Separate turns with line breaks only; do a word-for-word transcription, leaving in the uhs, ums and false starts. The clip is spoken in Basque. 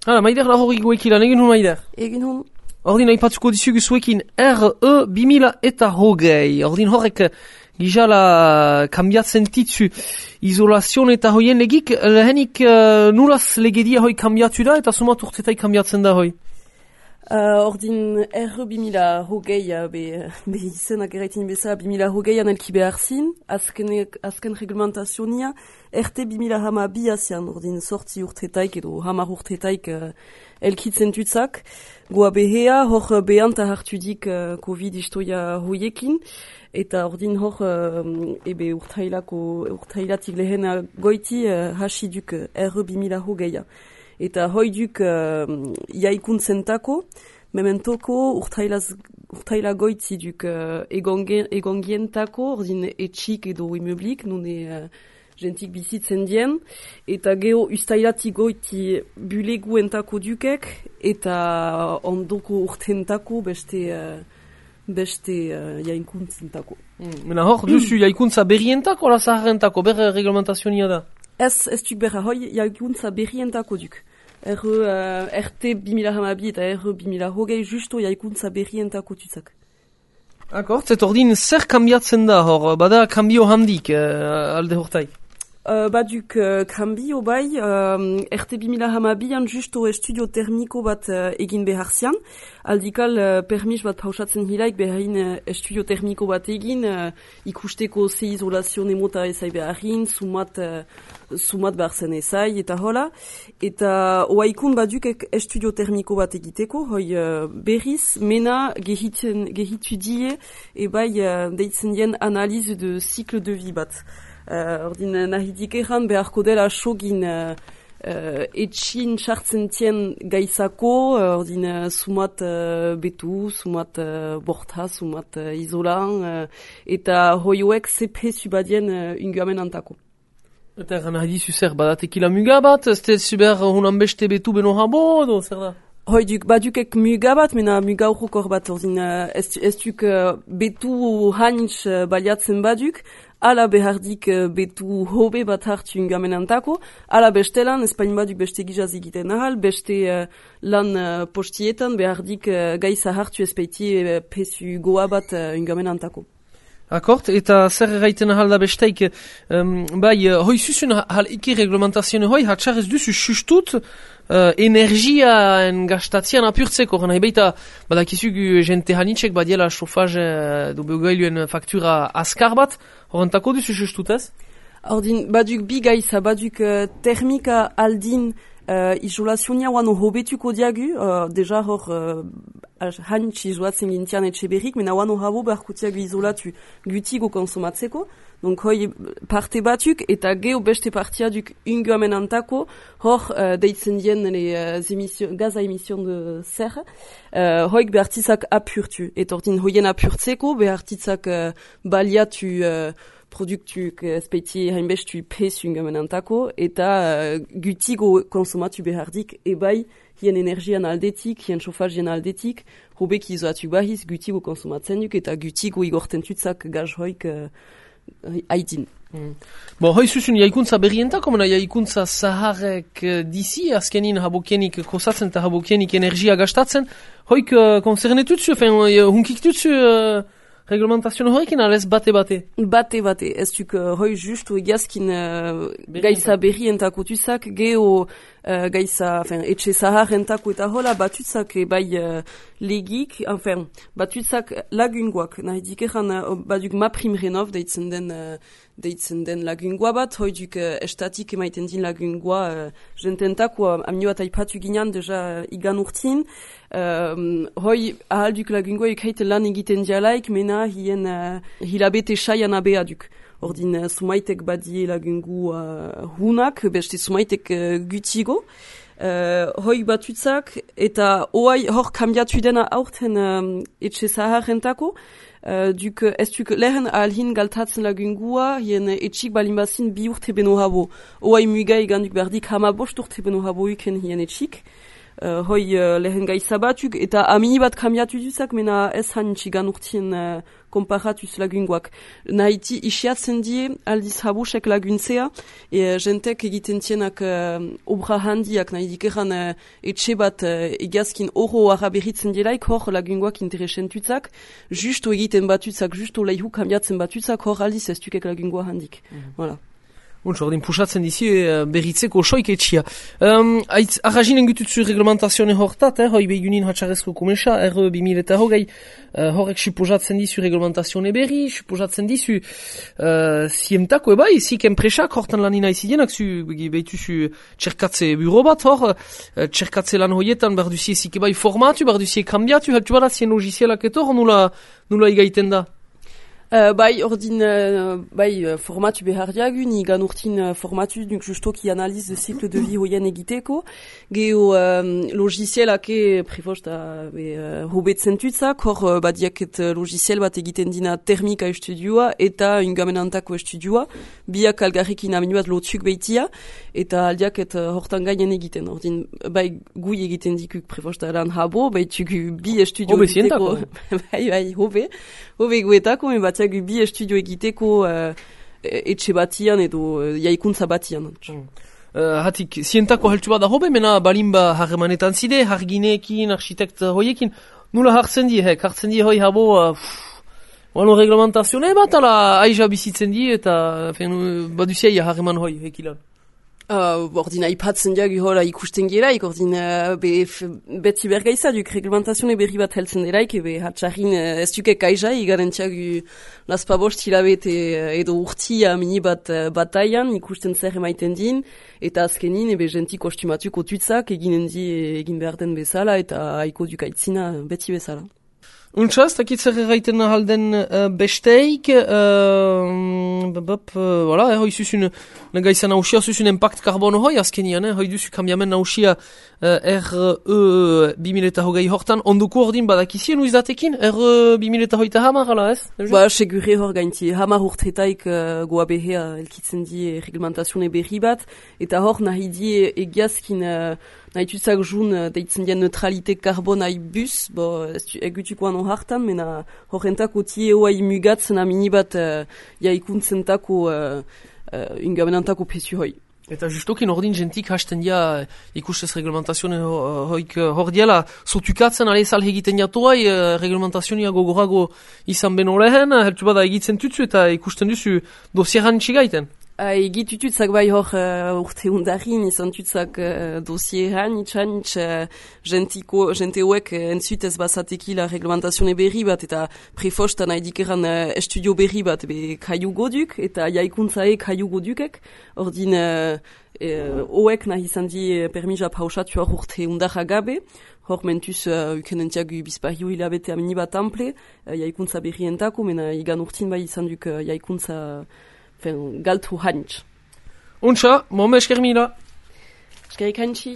Hala, maider da hori goekilan, egin hun maider?
Egin hun.
Ordin aipatzuko dizugu zuekin R E bi mila eta hogei. Ordin horrek gizala kambiatzen titzu izolazion eta hoien legik, lehenik uh, nulaz legedia hoi kambiatu da eta sumat urtetai kambiatzen da hoi?
Uh, ordin R bi mila hogei, be, be izenak eraitin bezala bi mila hogeian elki behar zin, azken, azken reglementazionia, R T bi mila hama bi azian, ordin sortzi urtetaik edo hamar urtetaik uh, elkitzen tutzak, goa behea, hor behanta hartudik uh, Covid istoia hoiekin, eta ordin hor uh, ebe urtailako, urtailatik lehena goiti uh, hasiduk R bi mila hogeia. Eta hoiduk uh, jaikuntzentako, mementoko urtailaz, urtaila goitziduk uh, egongientako, ordin etxik edo imeublik, nune uh, gentik bizitzen dien, eta geho ustailatik goiti buleguentako dukek, eta ondoko urtentako beste, uh, beste uh, jaikuntzentako.
Mm. Mena hor, duzu jaikuntza berrientako, la zaharrentako, berre reglementazionia da?
Ez, ez duk berra, hoi jaikuntza berrientako duk. R, uh, R T bi mila hamabi eta R bi mila hogei justo jaikuntza berrientako tutzak.
Akort, et ordin zer kambiatzen da hor, bada kambio handik uh, alde hortai?
Uh, baduk uh, kambio bai, uh, R T bi mila hamabian justo estudio termiko bat uh, egin behar zian. Aldikal uh, permis bat pausatzen hilaik beharin uh, estudio termiko bat egin, uh, ikusteko ze izolazione mota ezai beharin, sumat, uh, sumat behar zen ezai, eta hola. Eta oaikun baduk estudio termiko bat egiteko, hoi uh, berriz, mena gehitzen, gehitu die, e bai uh, deitzen dien analize de cycle de vie bat. Uh, ordin nahidik erran beharko dela sogin uh, uh, etxin sartzen tien gaizako, uh, ordin uh, sumat uh, betu, sumat uh, borta, sumat uh, izolan, uh, eta hoioek zepe subadien uh, unguamen antako.
Eta erran nahi dizu zer, badatekila muga bat, ez te zuber hunan beste betu beno habo, edo zer da?
Hoi duk, badukek muga bat, mena muga urrokor bat, ordin uh, ez, ez duk uh, betu hanitz uh, baliatzen baduk, ala behardik uh, betu hobe bat hartu ungamenantako, ala bestelan, espain baduk beste gizaz egiten ahal, beste uh, lan uh, postietan behardik uh, gaiza hartu espeiti uh, pesu goa bat uh, ungamenantako.
Akort, eta zer erraiten ahal da besteik, um, bai, hoi zuzun hal iki reglementazioen hoi, hatxar ez duzu sustut, uh, energiaen gastatzean apurtzeko, nahi baita, badakizugu jente hanitzek badiela chofaz uh, du begailuen faktura askar bat, horrentako duzu sustut ez?
Ordin, baduk bi gaiza, baduk uh, termika aldin Uh, izolazionia wano hobetuko diagu, uh, deja hor uh, hanitz izolatzen gintian etxe berrik, mena wano habo beharkutiagu izolatu gutigo konsumatzeko, donc hoi parte batuk eta geho beste partia duk unguamenantako, hor uh, deitzen dien uh, emission, gaza emission de zer, uh, hoik behartizak apurtu, eta ordin hoien apurtzeko behartizak uh, baliatu uh, produktuk espeiti hainbestu pesu ungamenantako, eta uh, gutigo konsumatu behardik, ebai hien energian aldetik, hien chofazien aldetik, hobek izoatu bahiz gutigo konsumatzen duk, eta gutigo igorten tutzak gaz hoik uh, haidin.
Mm. Bo, hoi zuzun jaikuntza berrientako, mena jaikuntza zaharek uh, dizi, azkenin habokienik kosatzen eta habokienik energia gastatzen, hoik uh, konsernetutzu, fen, uh, hunkik tutzu... Uh, reglementazioen horrekin alez bate-bate?
Bate-bate, ez duk uh, hoi justu egiazkin uh, gaiza berrientako tuzak, geho uh, gaiza, enfin, etxe zaharrentako eta hola batuzak e bai uh, legik, enfin, batuzak lagungoak, nahi dikeran uh, baduk maprim renov deitzen den, uh, deitzen den lagungoa bat, hoi duk uh, estatik emaiten din lagungoa uh, jententako, uh, amnio eta ipatu ginean deja uh, igan urtin, Um, hoi ahalduk lagungoa ekaite lan egiten dialaik, mena hien uh, hilabete saian abea duk. Ordin uh, sumaitek badie lagungu uh, hunak, beste sumaitek uh, gutigo. Uh, hoi batutzak, eta oai hor kambiatu dena aurten um, etxe zaharrentako, uh, duk ez duk lehen ahalhin galtatzen lagungua, hien etxik balinbazin bi urte beno habo. Oai muga egan duk berdik hama bost urte beno habo iken hien etxik. Uh, hoi uh, lehen gaiza batuk, eta amini bat kambiatu duzak, mena ez hanitxigan urtien uh, komparatuz lagungoak. Nahiti isiatzen die aldiz habusek laguntzea, e, jentek egiten tienak uh, obra handiak, nahi dikeran uh, etxe bat uh, egazkin oro araberritzen dielaik, hor lagungoak interesentutzak, justu egiten batutzak, justu leihu kambiatzen batutzak, hor aldiz ez dukek lagungoa handik. Mm-hmm. Voilà.
Untz, ordin pusatzen dizi uh, berritzeko soik etxia. Um, Aitz, arraginen gututzu reglamentazione hortat, eh, hoi begunin hatxarezko kumesa, R bimil eta hogei, uh, horrek suposatzen dizu reglamentazione berri, suposatzen dizu uh, ziemtako ebai, zik enpresak hortan lanina izidienak, zu behituzu txerkatze buro bat, hor, uh, txerkatze lan hoietan, barduzie zik ebai formatu, barduzie kambiatu, haltu bada zien logizielak eto, nula, nula igaiten da?
Uh, bai, ordin, uh, bai, uh, formatu behar diagu, ni gan urtin uh, formatu, dunk justo ki analiz de cycle de vie hoien egiteko, geho um, logicielake prefosta uh, hobetzen tutzak, hor uh, badiaket uh, logiciel bat egiten dina termika estudioa eta ingamenantako estudioa, biak algarrekin aminuaz lotzuk behitia, eta aldiaket uh, hortan gainen egiten, ordin, bai, gui egiten dikuk prefosta lan habo, bai, tuku bi estudio egiteko, bai, bai, hobe, hobe guetako, me bat bi estudio egiteko uh, etxe batian edo uh, jaikuntza batian. Mm. Uh, hatik,
zientako heltu bada hobe, mena balimba harremanetan zide, hargineekin, architekt hoiekin, nula hartzen die, hek, hartzen die hoi habo, uh, wano reglamentazione bat, ala aiza bizitzen die, eta baduzia harreman hoi, hekilan.
Uh, ordina ipatzen diagu hola ikusten geraik, ordina be, beti bergaiza duk reglamentazione berri bat heltzen deraik, ebe hatxarrin uh, ez dukek aizai, garantziagu laspabost hilabete uh, edo urtia mini bat uh, bataian, ikusten zer emaiten din, eta azkenin ebe genti kostumatuko tutzak eginen di egin behar den bezala, eta haiko duk aitzina beti bezala.
Untsa, ez dakit zer erraiten halden uh, besteik, uh, bop, uh, voilà, eh, hoi zuzun, negaizan nausia, zuzun impact karbono hoi azkenian, eh, hoi duzu kambiamen nausia uh, R E bimil eta hogei hortan, onduko ordin badakizien uizatekin, R bimil eta hoita hamar, ala ez?
Ba, segure hor gainti, hamar urtetaik uh, goa behea elkitzen di reglamentazione berri bat, eta hor nahi di egiazkin uh, nahi tuzak jun uh, deitzen dien neutralite karbonai bus, bo, egutukoan hartan, mena horrentako tie oa imugatzen amini bat uh, jaikuntzentako uh, uh, ingamenantako pesu hoi.
Eta justokin ordin jentik hasten dia ikustez reglamentazione hoik hor diela sotukatzen ale sal egiten jatuai uh, reglamentazionia gogorago izan beno lehen, heltu bada egitzen tutzu eta ikusten duzu dosieran txigaiten.
Egit tututzak bai hor uh, urte undarin izan tutzak uh, dosieran itxan itx uh, jentiko, jente hoek uh, entzutez bazatekila reglamentazione berri bat eta prefostan nahi dikeran uh, estudio berri bat be kaiu goduk eta jaikuntzae kaiu godukek ordin uh, uh, hoek nahi izan di uh, permisa pausatu hor urte undarra gabe hor mentuz uh, ukenentiagu bizpahiu hilabete amini bat ample uh, jaikuntza berri entako mena igan urtin bai izan duk uh, jaikuntza galtu hanitz.
Untsa, momme esker mila.
Eskerik hantzi.